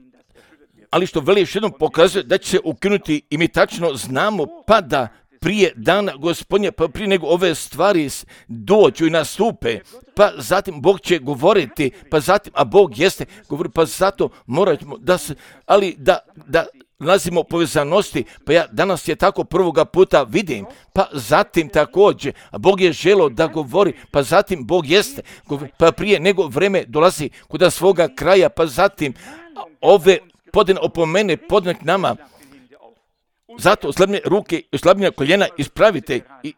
ali što veli još jednom pokazuje da će se ukinuti i mi tačno znamo, pa da prije dana Gospodnja, pa prije nego ove stvari dođu i nastupe, pa zatim Bog će govoriti, pa zatim, a Bog jeste govori, pa zato moramo da se, ali da, da nalazimo povezanosti, pa ja danas je tako prvoga puta vidim, pa zatim također, a Bog je želio da govori, pa zatim Bog jeste, govori, pa prije nego vreme dolazi kuda svoga kraja, pa zatim ove podne opomene podne k nama, zato slabne ruke i slabnija koljena ispravite. I,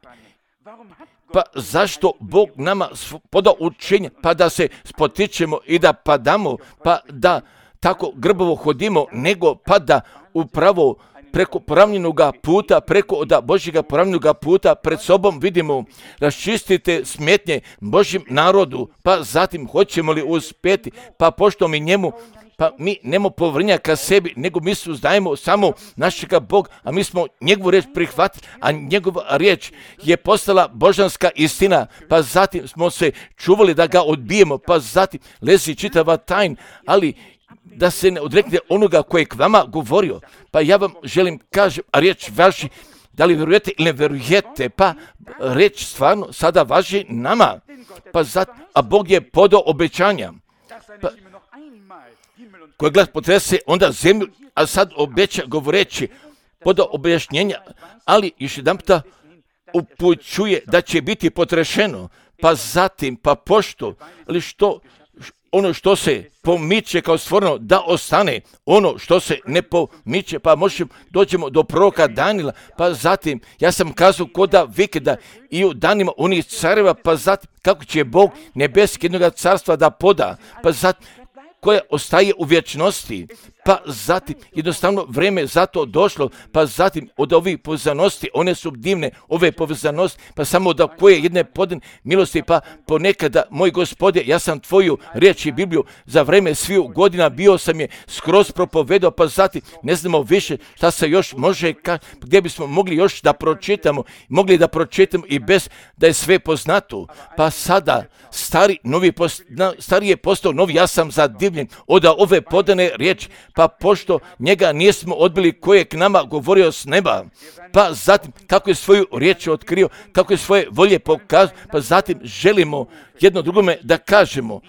pa zašto Bog nama poda učenje, pa da se spotičemo i da padamo, pa da tako grbovo hodimo, nego pa da upravo preko poravnjenoga puta, preko od Božjega poravnjenoga puta pred sobom vidimo, raščistite smetnje Božjem narodu, pa zatim hoćemo li uspjeti, pa pošto mi njemu, pa mi nemo povrnja ka sebi, nego mi suzdajemo samo našega Boga, a mi smo njegovu riječ prihvatili, a njegova riječ je postala božanska istina, pa zatim smo se čuvali da ga odbijemo, pa zatim lezi čitava tajna, ali da se ne odrekne onoga koji je k vama govorio, pa ja vam želim kažem, a riječ važi, da li vjerujete ili ne vjerujete, pa riječ stvarno sada važi nama, pa zatim, a Bog je podao obećanja, pa koji glas potrese onda zemlju, a sad obeća govoreći poda objašnjenja, ali još jedan puta upućuje da će biti potrešeno, pa zatim, pa pošto, ali što, ono što se pomiče kao stvoreno da ostane, ono što se ne pomiče, pa možemo, dođemo do proroka Danila, pa zatim, ja sam kazao koda vikenda i u danima onih careva, pa zatim, kako će Bog nebeski jednoga carstva da poda, pa zatim, koja ostaje u vječnosti, pa zatim jednostavno vrijeme za to došlo, pa zatim od ovih povezanosti, one su divne, ove povezanosti, pa samo da koje jedne podne milosti, pa ponekada, moj Gospode, ja sam tvoju riječ i Bibliju za vrijeme sviju godina bio sam je skroz propovedao, pa zatim ne znamo više šta se još može, gdje bismo mogli još da pročitamo, mogli da pročitamo i bez da je sve poznato, pa sada stari, novi post, stari je postao novi, ja sam zadivljen od ove podane riječi, pa pošto njega nismo odbili koji je k nama govorio s neba, pa zatim kako je svoju riječ otkrio, kako je svoje volje pokazao, pa zatim želimo jedno drugome da kažemo.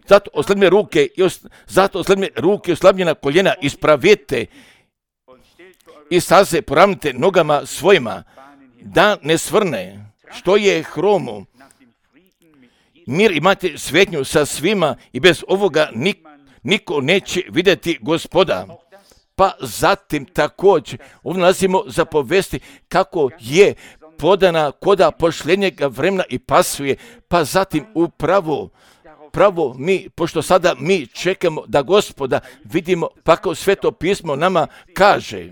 Zato osladne ruke i os, zato osladne ruke i oslabljena koljena ispravite i staze poravnite nogama svojima, da ne svrne što je hromu. Mir imate svetnju sa svima i bez ovoga nik, niko neće vidjeti Gospoda. Pa zatim također ovdje nalazimo za povesti kako je podana koda pošljenjega vremena i pasuje, pa zatim upravo pravo mi, pošto sada mi čekamo da Gospoda vidimo, pa kao Sveto pismo nama kaže,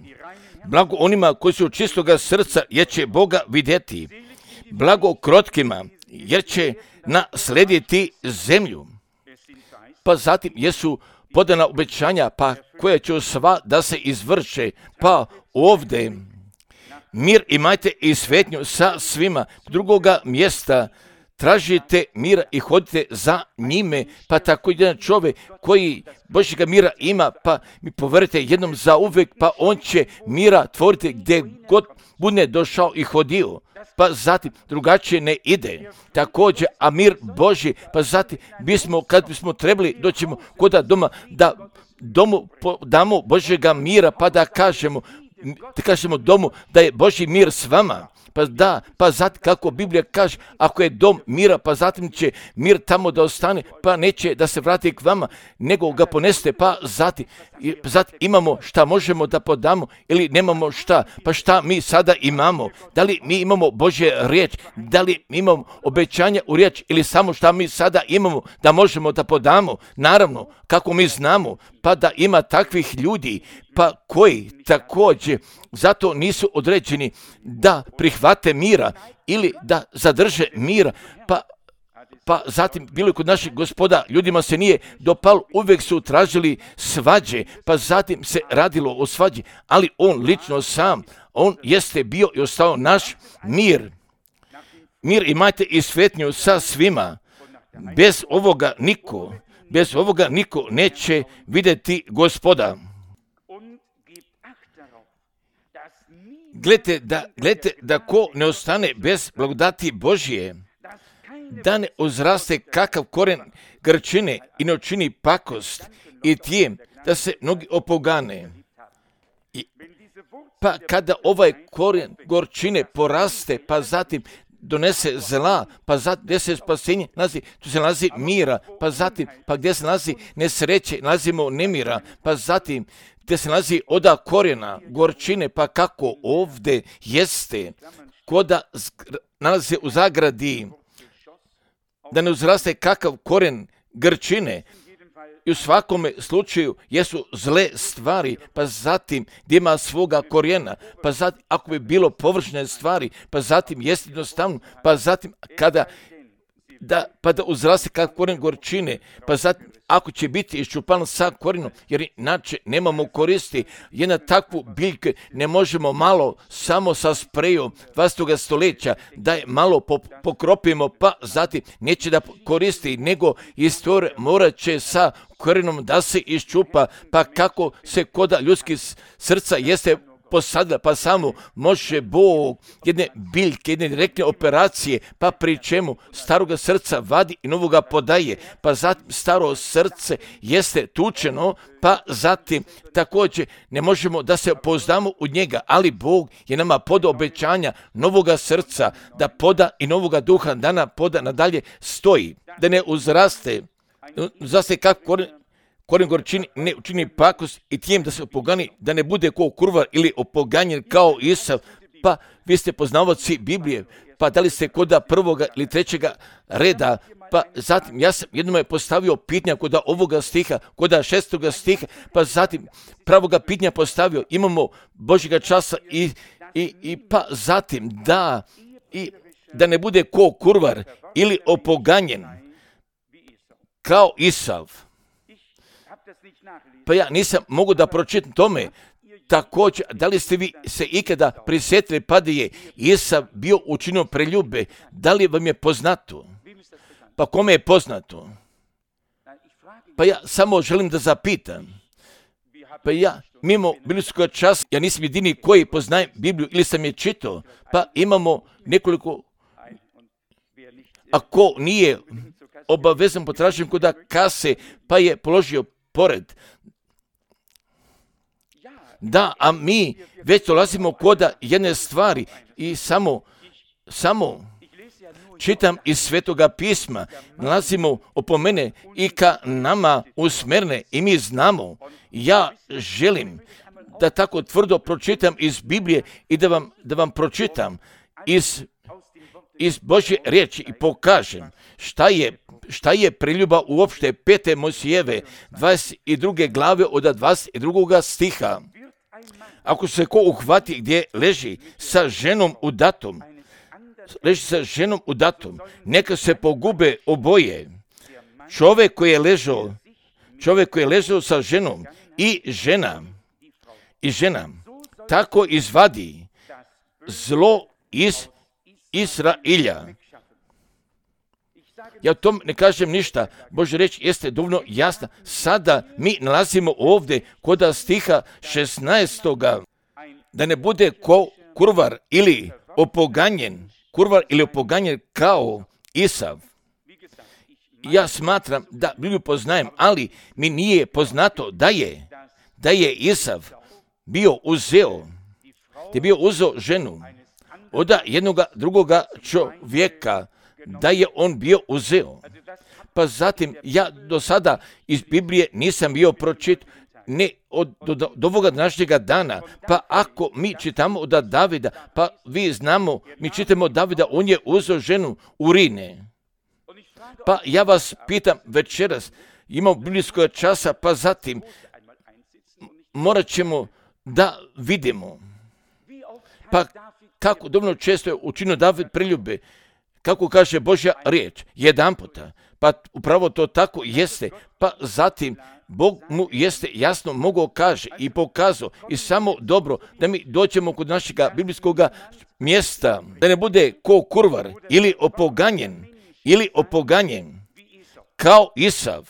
blago onima koji su čistoga srca, jer će Boga vidjeti, blago krotkima, jer će naslediti zemlju. Pa zatim jesu podana obećanja, pa koje će sva da se izvrše, pa ovdje mir imajte i svetnju sa svima. Drugoga mjesta tražite mira i hodite za njime, pa tako jedan čovjek koji Božjega mira ima, pa mi poverite jednom za uvijek, pa on će mira tvoriti gdje god bude došao i hodio. Pa zatim drugačije ne ide. Također, a mir Božji, pa zatim bismo, kad bismo trebali, doćemo koda doma, da domu damo Božjega mira, pa da kažemo, da kažemo domu da je Božji mir s vama. Pa da, pa zatim kako Biblija kaže, ako je dom mira, pa zatim će mir tamo da ostane, pa neće da se vrati k vama, nego ga poneste, pa zatim, zatim imamo šta možemo da podamo ili nemamo šta, pa šta mi sada imamo, da li mi imamo Božje riječ, da li mi imamo obećanja u riječ ili samo šta mi sada imamo da možemo da podamo, naravno, kako mi znamo, pa da ima takvih ljudi, pa koji također zato nisu određeni da prihvate mira ili da zadrže mira, pa, pa zatim bilo je kod naših Gospoda, ljudima se nije dopalo, uvijek su tražili svađe, pa zatim se radilo o svađi, ali on lično sam, on jeste bio i ostao naš mir. Mir imajte i svetnju sa svima, bez ovoga niko, bez ovoga niko neće vidjeti Gospoda. Gledajte da, gledajte da ko ne ostane bez blagodati Božje, da ne uzraste kakav koren grčine i ne učini pakost i tijem da se mnogi opogane. I, pa kada ovaj koren gorčine poraste, pa zatim donese zla, pa zatim gdje se spasenje nalazi, tu se nalazi mira, pa zatim, pa gdje se nalazi nesreće, nalazimo nemira, pa zatim gdje se nalazi oda korijena, gorčine, pa kako ovdje jeste, koda nalazi u zagradi, da ne uzraste kakav korijen grčine, i u svakome slučaju jesu zle stvari, pa zatim gdje ima svoga korijena, pa zatim ako bi bilo površne stvari, pa zatim jest jednostavno, pa zatim kada da, pa da uzraste kakav korijen gorčine, pa zatim ako će biti iščupan sa korijenom, jer inače nemamo koristi, jedna takvu biljku ne možemo malo samo sa sprejom dvadesetog stoljeća da je malo pokropimo, pa zatim neće da koristi, nego istorija morat će sa korijenom da se iščupa, pa kako se koda ljudskih srca jeste posadila, pa samo može Bog jedne biljke, jedne direktne operacije, pa pri čemu staroga srca vadi i novoga podaje, pa zatim staro srce jeste tučeno, pa zatim također ne možemo da se pouzdamo u njega, ali Bog je nama podao obećanja novoga srca, da poda i novoga duha, da nam poda nadalje stoji, da ne uzraste, uzraste kako korijen, korijen gorčini ne učini pakost i tijem da se opogani, da ne bude ko kurvar ili opoganjen kao Isav, pa vi ste poznavaoci Biblije, pa da li ste koda prvoga ili trećega reda, pa zatim ja sam jednom je postavio pitanja koda ovoga stiha, koda šestoga stiha, pa zatim pravoga pitanja postavio, imamo Božjega časa i, i, i pa zatim da, i da ne bude ko kurvar ili opoganjen kao Isav. Pa ja nisam mogu da pročitam tome. Također, da li ste vi se ikada prisjetili pa da je Isav bio učinio preljube? Da li vam je poznato? Pa kome je poznato? Pa ja samo želim da zapitam. Pa ja, mimo biblijskog časa, ja nisam jedini koji poznajem Bibliju ili sam je čitao, pa imamo nekoliko, ako nije obavezan potražen kod kase, pa je položio pored. Da, a mi već dolazimo kod jedne stvari i samo, samo čitam iz Svetoga pisma, nalazimo opomene i ka nama usmerne i mi znamo. Ja želim da tako tvrdo pročitam iz Biblije i da vam, da vam pročitam iz, iz Božje riječi i pokažem šta je, šta je preljuba uopšte pete Mojsijeve dvadeset druge glave od dvadeset drugog stiha. Ako se ko uhvati gdje leži sa ženom udatom, leži sa ženom udatom, neka se pogube oboje. Čovjek koji je ležao, čovjek koji je ležao sa ženom i žena, i žena, tako izvadi zlo iz Izrailja. Ja o tom ne kažem ništa. Božja riječ jeste dovoljno jasna. Sada mi nalazimo ovdje kod stiha šesnaestoga da ne bude ko kurvar ili opoganjen, kurvar ili opoganjen kao Isav. Ja smatram da Bibliju poznajem, ali mi nije poznato da je, da je Isav bio uzeo, da je bio uzeo ženu od jednoga drugoga čovjeka, da je on bio uzeo. Pa zatim, ja do sada iz Biblije nisam bio pročit, ne od, do, do, do ovoga današnjega dana, pa ako mi čitamo od Davida, pa vi znamo, mi čitamo Davida, on je uzeo ženu Urine. Pa ja vas pitam večeras, imamo biblijskog časa, pa zatim morat ćemo da vidimo. Pa kako dovoljno često je učinio David preljube, kako kaže Božja riječ, jedan puta, pa upravo to tako jeste, pa zatim Bog mu jeste jasno mogao kaže i pokazao i samo dobro da mi dođemo kod našega biblijskog mjesta, da ne bude ko kurvar ili opoganjen, ili opoganjen kao Isav,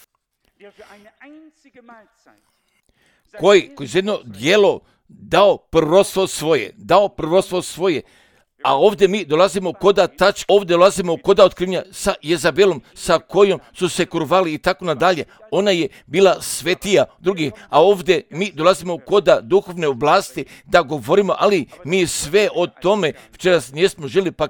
koji, koji za jedno djelo dao prvenstvo svoje, dao prvenstvo svoje, a ovdje mi dolazimo koda tač, ovdje dolazimo koda otkrivenja sa Jezabelom, sa kojom su se kurvali i tako nadalje. Ona je bila svetija drugih, a ovdje mi dolazimo koda duhovne oblasti da govorimo, ali mi sve o tome včeras nismo želi, pa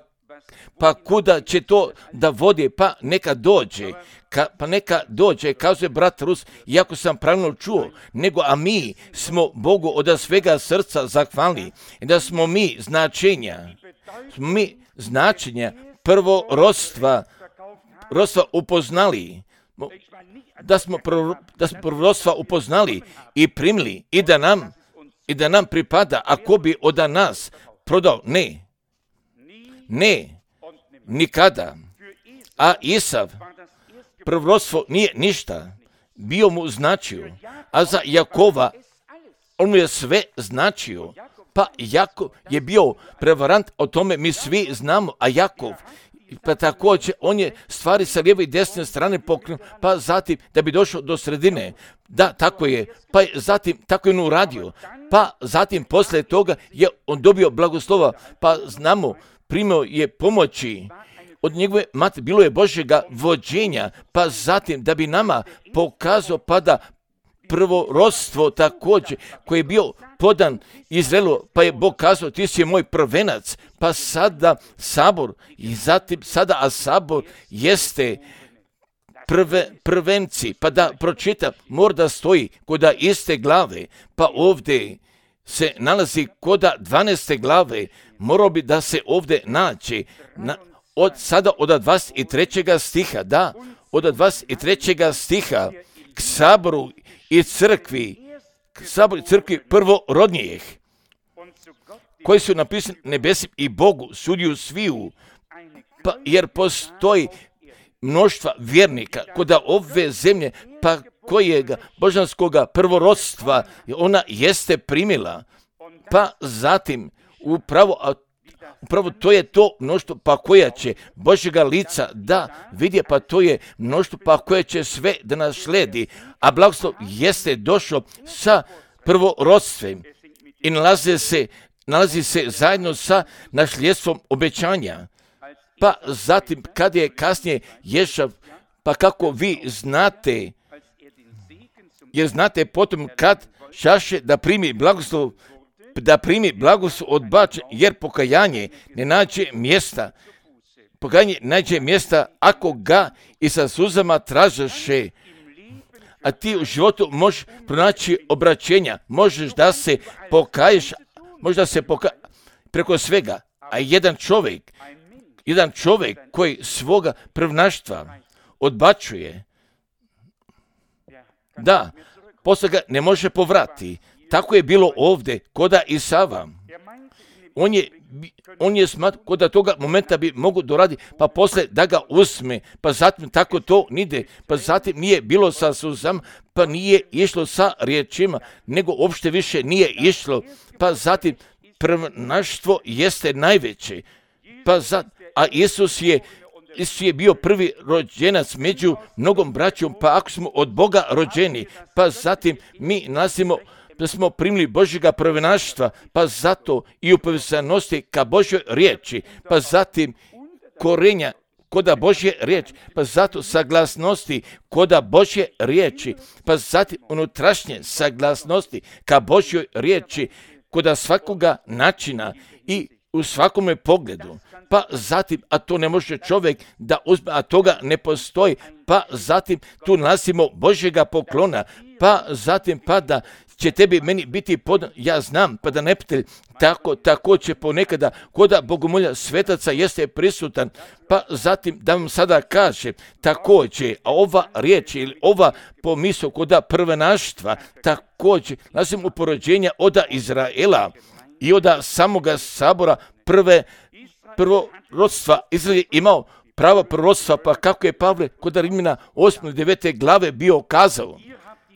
pa kuda će to da vodi, pa neka dođe, Ka, pa neka dođe, kazuje brat Rus, iako sam pravilno čuo, nego a mi smo Bogu od svega srca zahvalni, da smo mi značenja, smo mi značenja prvorodstva, rodstva upoznali, da smo, prvo, da smo prvorodstva upoznali i primili i da nam, i da nam pripada, ako bi od nas prodao, ne, ne, nikada. A Isav, prvorodstvo nije ništa, bio mu značio, a za Jakova on mu je sve značio. Pa Jakov je bio prevarant, o tome mi svi znamo, a Jakov, pa također on je stvari sa lijeve i desne strane pokrenuo, pa zatim da bi došao do sredine. Da, tako je, pa je zatim tako je on uradio, pa zatim poslije toga je on dobio blagoslova, pa znamo, primio je pomoći od njegove mate, bilo je Božjega vođenja, pa zatim da bi nama pokazao pa da prvorodstvo također koji je bio podan Izraelu, pa je Bog kazao ti si moj prvenac, pa sada sabor i zatim sada a sabor jeste prve, prvenci, pa da pročita mora da stoji koda iste glave, pa ovdje se nalazi koda dvanaeste glave, morao bi da se ovdje naći na, od sada od dvadeset trećeg stiha, da, od dvadeset trećeg stiha k saboru i crkvi, k saboru i crkvi prvorodnijih, koji su napisani nebesim i Bogu, sudiju sviju, pa jer postoji mnoštva vjernika koda ove zemlje, pa kojega božanskoga prvorodstva ona jeste primila, pa zatim upravo, a upravo to je to mnoštvo pa koja će Božjega lica da vidje, pa to je mnoštvo pa koje će sve da nas sledi, a blagoslov jeste došao sa prvorodstvom i nalaze se, nalazi se zajedno sa nasljedstvom obećanja. Pa zatim, kad je kasnije Ješav, pa kako vi znate, jer znate potom kad šaše da primi blagoslov, da primi blagoslov odbačen, jer pokajanje ne nađe mjesta, pokajanje nađe mjesta ako ga i sa suzama tražaše. A ti u životu možeš pronaći obraćenja, možeš da se pokaješ, možda se pokaješ preko svega, a jedan čovjek, jedan čovjek koji svoga prvnaštva odbačuje, da, poslije ga ne može povrati. Tako je bilo ovdje koda Isava. On je, on je smatro koda toga momenta bi mogu doraditi, pa poslije da ga usme, pa zatim tako to nide, pa zatim nije bilo sa suzama, pa nije išlo sa riječima, nego uopšte više nije išlo, pa zatim prvnaštvo jeste najveće, pa zatim, a Isus je Isus je bio prvi rođenac među mnogom braćom, pa ako smo od Boga rođeni, pa zatim mi nasimo da smo primili Božjega prvnaštva, pa zato i u povezanosti ka Božjoj riječi, pa zatim korenja koda Božje riječi, pa zato saglasnosti koda Božje riječi, pa zatim unutrašnje saglasnosti ka Božjoj riječi, koda svakoga načina i u svakome pogledu, pa zatim, a to ne može čovjek da uzme, a toga ne postoji, pa zatim tu nalazimo Božjega poklona, pa zatim pa da će tebi meni biti podan, ja znam, pa da ne pitelj, tako, tako će ponekada koda bogomolja svetaca jeste prisutan, pa zatim da vam sada kaže, također, a ova riječ ili ova pomisao koda prvenaštva, također, nalazim u porođenja oda Izraela i oda samoga sabora prve prvorodstva. Izrael je imao pravo prorostva, pa kako je Pavle kod Rimljana osme i devete glave bio kazao,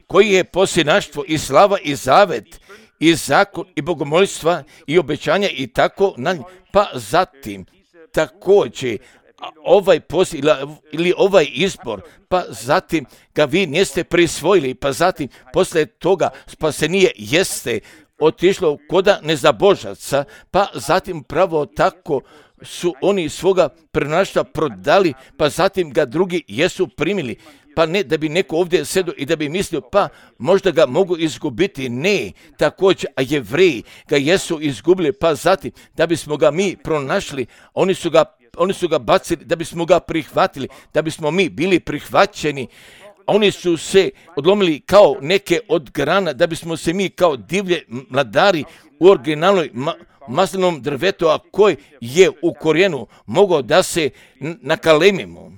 koji je posljednaštvo i slava i zavet i zakon i bogomolstva i obećanja i tako na nj. Pa zatim također ovaj poslije ili ovaj izbor, pa zatim ga vi niste prisvojili, pa zatim poslije toga spasenije jeste otišlo koda nezabožaca, pa zatim pravo tako su oni svoga prvnaštva prodali, pa zatim ga drugi jesu primili. Pa ne da bi neko ovdje sedo i da bi mislio, pa možda ga mogu izgubiti. Ne, također, a Jevreji ga jesu izgubili, pa zatim da bismo ga mi pronašli, oni su ga, oni su ga bacili, da bismo ga prihvatili, da bismo mi bili prihvaćeni. Oni su se odlomili kao neke od grana, da bismo se mi kao divlje mladari u originalnoj ma- maslinom drvetu, a koji je u korijenu mogao da se nakalemimo.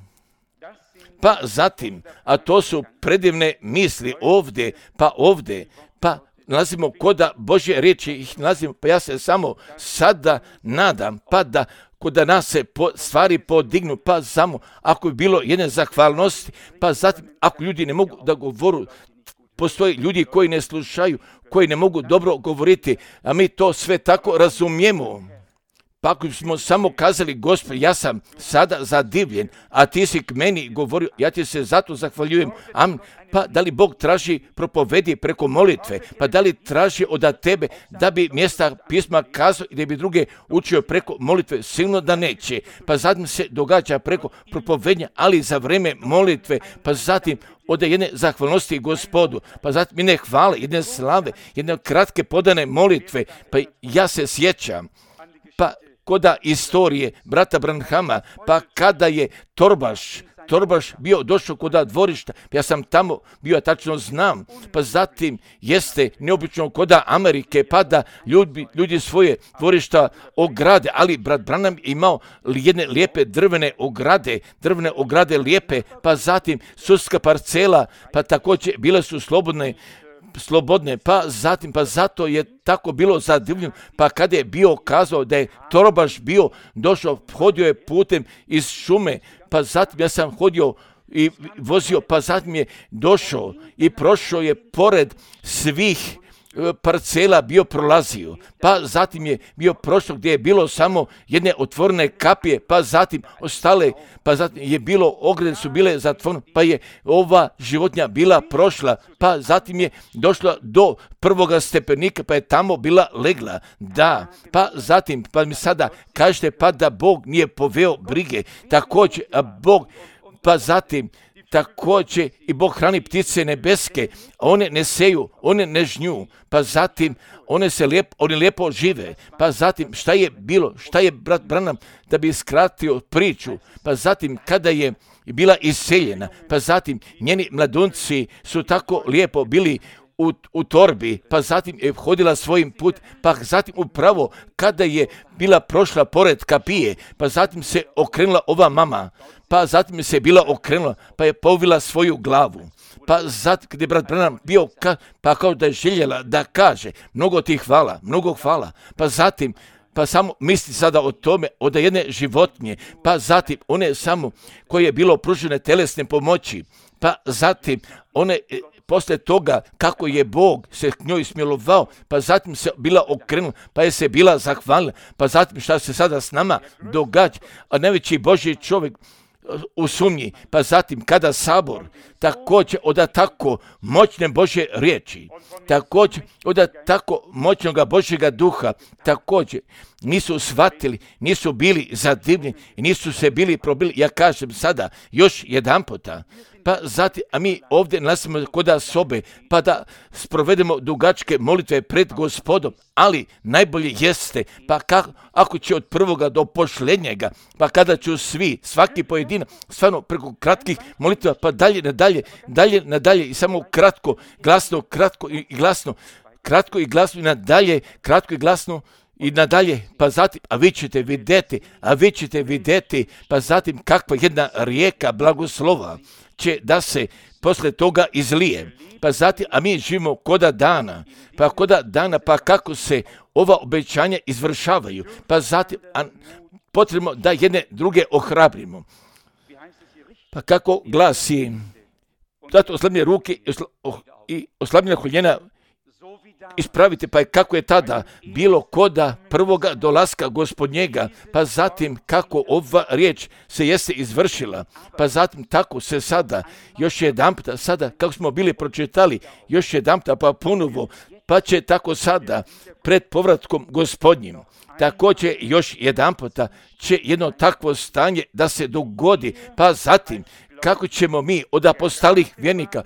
Pa zatim, a to su predivne misli ovdje, pa ovdje, pa nalazimo koda Božje riječi, ih nalazimo, pa ja se samo sada nadam, pa da koda nas se po, stvari podignu, pa samo ako je bilo jedne zahvalnosti, pa zatim ako ljudi ne mogu da govoru, postoje ljudi koji ne slušaju, koji ne mogu dobro govoriti, a mi to sve tako razumijemo. Pa ako smo samo kazali, Gospod, ja sam sada zadivljen, a ti si k meni govorio, ja ti se zato zahvaljujem, amen. Pa da li Bog traži propovedi preko molitve, pa da li traži od tebe da bi mjesta pisma kazao i da bi druge učio preko molitve, silno da neće. Pa zatim se događa preko propovednja, ali za vrijeme molitve, pa zatim od jedne zahvalnosti Gospodu, pa zatim jedne hvale, jedne slave, jedne kratke podane molitve, pa ja se sjećam, pa koda istorije brata Branhama, pa kada je Torbaš, Torbaš bio došao koda dvorišta, ja sam tamo bio, tačno znam, pa zatim jeste neobično koda Amerike, pa da ljudi, ljudi svoje dvorišta ograde, ali brat Branham imao jedne lijepe drvene ograde, drvene ograde lijepe, pa zatim sudska parcela, pa također bile su slobodne, slobodne, pa zatim, pa zato je tako bilo zadivljeno, pa kada je bio kazao da je Torbaš bio došao, hodio je putem iz šume, pa zatim ja sam hodio i vozio, pa zatim je došao i prošao je pored svih parcela bio prolazio, pa zatim je bio prošlo gdje je bilo samo jedne otvorene kapije, pa zatim ostale, pa zatim je bilo, ograde su bile zatvorene, pa je ova životinja bila prošla, pa zatim je došla do prvoga stepenika, pa je tamo bila legla. Da, pa zatim, pa mi sada kažete, pa da Bog nije poveo brige, također, a Bog, pa zatim, također i Bog hrani ptice nebeske, a one ne seju, one ne žnju, pa zatim one se lijepo, oni lijepo žive, pa zatim šta je bilo, šta je brat Branham da bi skratio priču, pa zatim kada je bila iseljena, pa zatim njeni mladunci su tako lijepo bili U, u torbi, pa zatim je hodila svojim put, pa zatim upravo kada je bila prošla pored kapije, pa zatim se okrenula ova mama, pa zatim se bila okrenula, pa je povila svoju glavu. Pa zatim kada je brat Branham bio, ka, pa kao da je željela da kaže, mnogo ti hvala, mnogo hvala, pa zatim pa samo misli sada o tome, od jedne životinje, pa zatim one samo koje je bilo pružene telesne pomoći, pa zatim one poslije toga kako je Bog se k njoj smilovao, pa zatim se bila okrenula, pa je se bila zahvalila, pa zatim šta se sada s nama događa, a najveći Božji čovjek u sumnji, pa zatim kada sabor također od tako moćne Božje riječi, također od tako moćnoga Božjega duha, također nisu shvatili, nisu bili zadivljeni i nisu se bili probili, ja kažem sada još jedan puta, pa zatim, a mi ovdje nalazimo kod sobe, pa da sprovedemo dugačke molitve pred Gospodom, ali najbolje jeste, pa kako, ako će od prvoga do posljednjega, pa kada ću svi, svaki pojedinac, stvarno preko kratkih molitva, pa dalje, nadalje, dalje, nadalje i samo kratko, glasno, kratko i glasno, kratko i glasno i nadalje, kratko i glasno, i nadalje, pa zatim, a vi ćete vidjeti, a vi ćete vidjeti, pa zatim kakva jedna rijeka blagoslova će da se posle toga izlije. Pa zatim, a mi živimo koda dana, pa koda dana, pa kako se ova obećanja izvršavaju, pa zatim, a potrebno da jedne druge ohrabrimo. Pa kako glasi, zato oslabljene ruke i oslabljena koljena ispravite, pa je kako je tada bilo koda prvoga dolaska Gospodnjega, pa zatim kako ova riječ se jeste izvršila, pa zatim tako se sada, još jedan puta, sada kako smo bili pročitali, još jedan puta, pa ponovo, pa će tako sada pred povratkom Gospodnjim, također još jedan puta će jedno takvo stanje da se dogodi, pa zatim kako ćemo mi od apostolih vjernika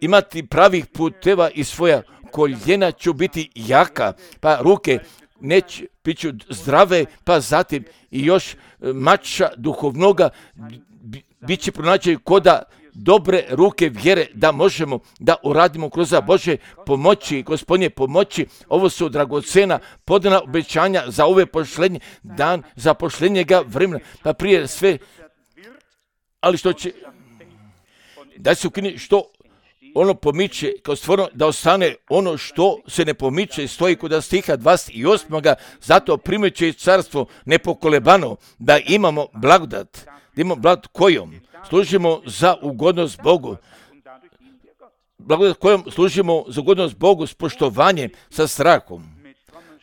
imati pravih puteva i svoja koljena ću biti jaka, pa ruke neće biću zdrave, pa zatim i još mača duhovnoga bit će pronaći koda dobre ruke vjere da možemo da uradimo kroz Bože pomoći, Gospodnje pomoći. Ovo su dragocena podana obećanja za ove pošlenje dan, za pošljenjega vremena, pa prije sve, ali što će, da se ukine što ono pomiče, kao stvarno da ostane ono što se ne pomiče, stoji kod stiha dvadeset osam. Zato primeće carstvo nepokolebano, da imamo blagodat, da imamo blagodat kojom služimo za ugodnost Bogu, blagodat kojom služimo za ugodnost Bogu s poštovanjem, sa strahom,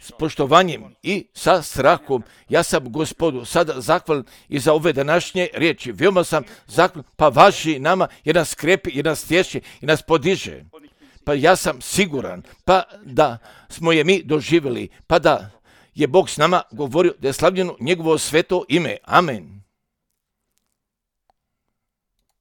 s poštovanjem i sa strahom. Ja sam Gospodu sada zahvalan i za ove današnje riječi. Veoma sam zahvalan, pa važi nama jer nas skrepi, jer nas tješi i nas podiže. Pa ja sam siguran, pa da smo je mi doživjeli, pa da je Bog s nama govorio da je slavljeno njegovo sveto ime. Amen.